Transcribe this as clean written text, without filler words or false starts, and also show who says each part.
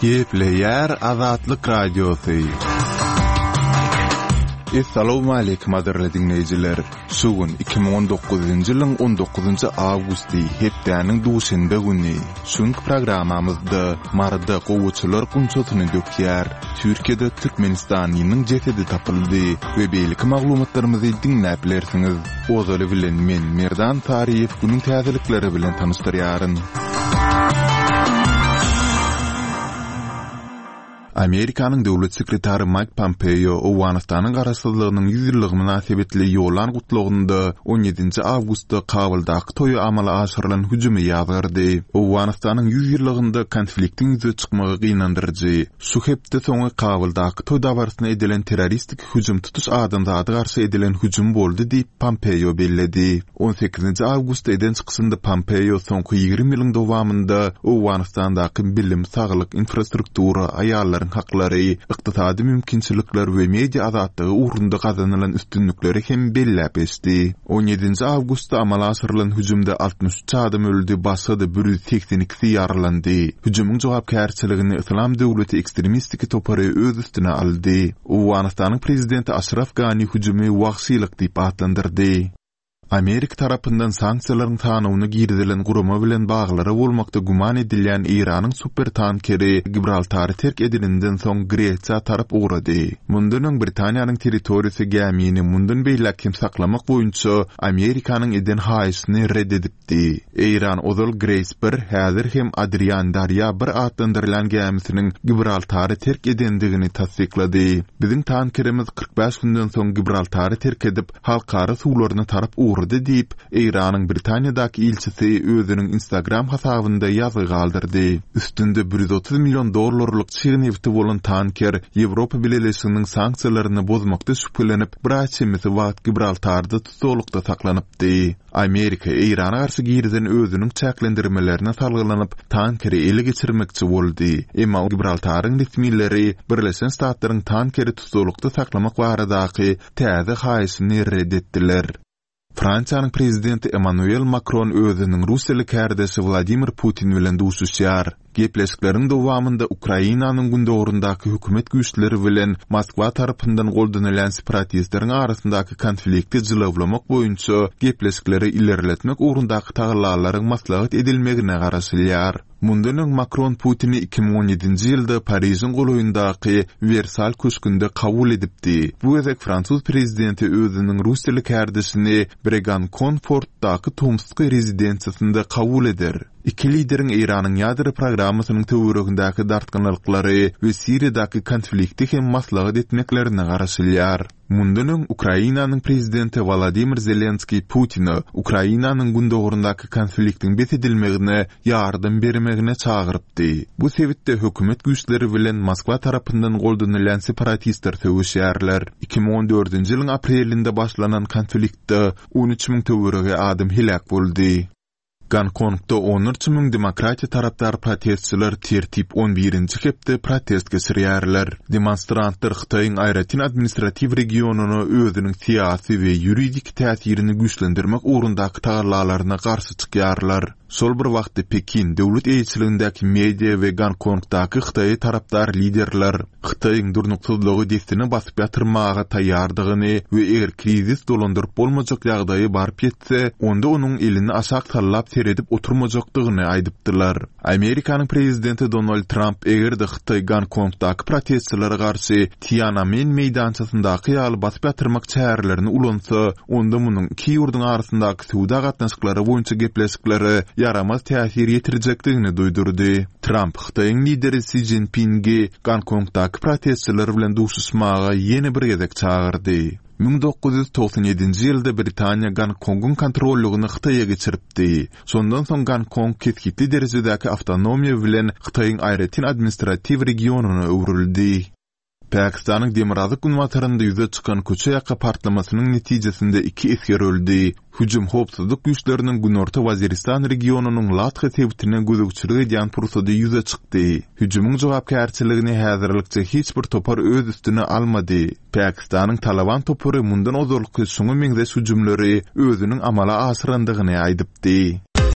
Speaker 1: Gepleýär Azatlyk Radiosy. Essalawmaleýkim gadyrly diňleýjiler! Şu gün 2019-njy ýylyň 19-njy awgusty, hepdäniň duşenbe güni. Şu günki programmamyzda Maryda gowaçalar gunçasyny dökýär, Türkiýede türkmenistanlynyň jesedi tapyldy we beýleki maglumatlarymyzy diňläp bilersiňiz. Ozaly bilen men Merdan Saryýew günüň täzelikleri bilen tanyşdyrýaryn. Amerikanyň Döwlet sekretary Maýk Pompeo Owganystanyň garaşsyzlygynyň 100 ýyllygy mynasybetli ýollan gutlagynda on ýedinji awgustda Kabuldaky toýa amala aşyrylan hüjümi ýazgardy. Owganystanyň 100 ýyllygynda konfliktiň ýüze çykmagy gynandyryjy. Şu hepde soňy Kabuldaky toý dabarasyna edilen terroristik hüjüm tutuş adamzada garşy edilen hüjüm boldy diýip, Pompeo belledi. On sekizinji awgustda eden çykyşynda Pompeo soňky 20 ýylyň dowamynda Owganystandaky bilim, saglyk, infrastruktura, aýallaryň haklary, ykdysady mümkinçilikler we media azatlygy ugrunda gazanylan üstünlikleri hem belläp geçdi. On ýedinji awgustda amala aşyrylan hüjümde 63 adam öldi, başga-da 182-si ýaralandy. Hüjümiň jogapkärçiligini Yslam döwleti ekstremistiki topary öz üstüne aldy. Owganystanyň prezidenti Aşraf Gani hüjümi wagşylyk diýip atlandyrdy. Amerika tarapyndan sanksiýalaryň sanawyna girizilen gurama bilen baglary bolmakda güman edilýän Eýranyň supertankeri Gibraltary terk edeninden soň Gresiýa tarap ugrady. Mundan öň Britaniýanyň territoriýasy gämini mundan beýläk hem saklamak boýunça Amerikanyň eden haýyşyny ret edipdi. Eýran ozal Grace bir, häzir hem Adrian Darýa bir atlandyrylýan gämisiniň Gibraltary terk edendigini tassyklady. Biziň tankerimiz 45 günden soň Gibraltary terk edip, halkara suwlaryna tarap ugrady diýip, Eýranyň Britaniýadaky ilçisi özüniň Instagram hasabynda ýazgy galdyrdy. Üstünde 130 million dollarlyk çig nebiti bolan tanker Ýewropa Bileleşiginiň sanksiýalaryny bozmakda şübhelenip, bir aý çemesi wagt Gibraltarda tussaglykda saklanypdy. Amerika Eýrana garşy girizen özüniň çäklendirmelerine salgylanyp, tankeri ele geçirmekçi boldy. Emma Gibraltaryň resmileri Birleşen Ştatlaryň tankeri tussaglykda saklamak baradaky täze haýyşyny ret etdiler. Fransiýanyň prezidenti Emmanuel Makron özüniň russiýaly kärdeşi Wladimir Putin bilen duşuşýar. Gepleşikleriň dowamynda Ukrainanyň gündogaryndaky hökümet güýçleri bilen Moskwa tarapyndan goldanylýan separatistleriň arasyndaky konflikti jylawlamak boýunça gepleşikleri ilerletmek ugrundaky tagallalaryň maslahat edilmegine garaşylýar. Mundan öň Makron Putini 2017-nji ýylda Parižiň golaýyndaky Wersal köşgünde kabul edipdi. Bu gezek fransuz prezidenti özüniň russiýaly kärdeşini Bregankonfortdaky tomsky rezidensiýasynda kabul eder. Iki lideriň Eýranyň ýadro programmasynyň töweregindäki dartgynlyklary we Siriýadaky konflikti hem maslahat etmeklerine garaşylýar. Mundan öň Ukrainanyň prezidenti Wolodymyr Zelenskiý Putine Ukrainanyň gündogaryndaky konfliktiň bes edilmegine ýardam bermegine çagyrypdy. Bu sebitde hökümet güýçleri bilen Moskwa tarapyndan goldanylýan separatistler söweşýärler. 2014-nji ýylyň aprelinde başlanan konfliktde 13 müň töweregi adam heläk boldy. Gonkongda onlarça müň demokratiýa tarapdar protestçiler tertip on birinji hepde protest geçirýärler. Demonstrantlar Hytaýyň aýratyn administratiw regionyna özüniň syýasy we ýuridik täsirini güýçlendirmek ugrundaky tagallalaryna garşy çykýarlar. Şol bir wagtda Pekin döwlet eýeçiligindäki media we Gonkongdaky Hytaýa tarapdar liderler Hytaýyň durnuksyzlygy dessine basyp ýatyrmaga taýýardygyny we eger krizis dolandyryp bolmajak ýagdaýa baryp ýetse, onda onuň elini aşak sallap seredip oturmajakdygyny aýdypdylar. Amerikanyň prezidenti Donald Tramp eger-de Hytaý Gonkongdaky protestçilere garşy Tiananmen meýdançasyndaky ýaly basyp ýatyrmak çärelerini ulansa, onda munuň iki ýurduň arasyndaky söwda gatnaşyklary boýunça gepleşiklere ýaramaz täsir ýetirjekdigini duýdurdy. Tramp Hytaýyň lideri Si Szinpingi Gonkongdaky protestçiler bilen duşuşmaga ýene bir gezek çagyrdy. 1997-nji ýylda Britaniýa Gonkongyň kontrollygyny Hytaýa geçiripdi. Şondan soň Gonkong kesgitli derejedäki awtonomiýa bilen Hytaýyň aýratyn administratiw regionyna öwrüldi. Pakistanyň demirgazyk-günbatarynda ýüze çykan köçe ýaka partlamasynyň netijesinde iki esger öldi. Hüjüm howpsuzlyk güýçleriniň Günorta Waziristan regionynyň Latha sebitine gözegçilik edýän pursady ýüze çykdy. Hüjümiň jogapkärçiligini häzirlikçe hiç bir topar öz üstüne almady. Pakistanyň Talaban topary mundan ozalky şuňa meňzeş hüjümleri özüniň amala aşyrandygyny aýdypdy.